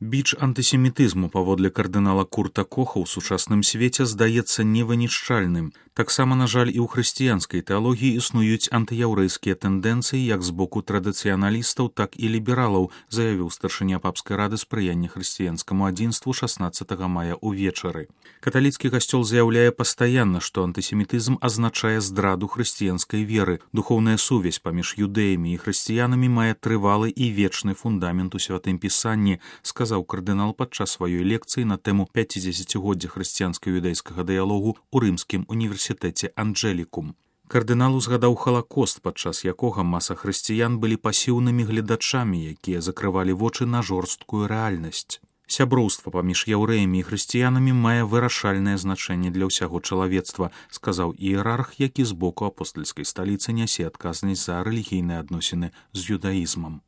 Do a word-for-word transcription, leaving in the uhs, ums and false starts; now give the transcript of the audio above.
Біч антысемітызму паводле кардынала Курта Коха ў сучасным свеце здаецца невынішчальным. Таксама, на жаль, і ў хрысціянскай тэалогіі існуюць антыяўрэйскія тэндэнцыі як з боку традыцыяналістаў, так і лібералаў, заявіў старшыня папскай рады спрыяння хрысціянскаму адзінству шаснаццатага мая ўвечары. Каталіцкі касцёл заяўляе пастаянна, што антысемітызм азначае здраду хрысціянскай веры. Духоўная сувязь паміж юдэямі і хрысціянамі мае трывалы і вечны фундамент у святым пісанні, сказаў кардынал падчас сваёй лекцыі на тэму пяцідзесяцігоддзя хрысціянска-юдэйскага дыялогу ў рымскім універсітэце Анджелікум. Кардынал узгадаў халакост, падчас якога маса хрысціян былі пасіўнымі гледачамі, якія закрывалі вочы на жорсткую рэальнасць. Сяброўства паміж яўрэямі і хрысціянамі мае вырашальнае значэнне для ўсяго чалавецтва, сказаў іерарх, які з боку апостальскай сталіцы нясе адказнасць за рэлігійныя адносіны з юдаізмам.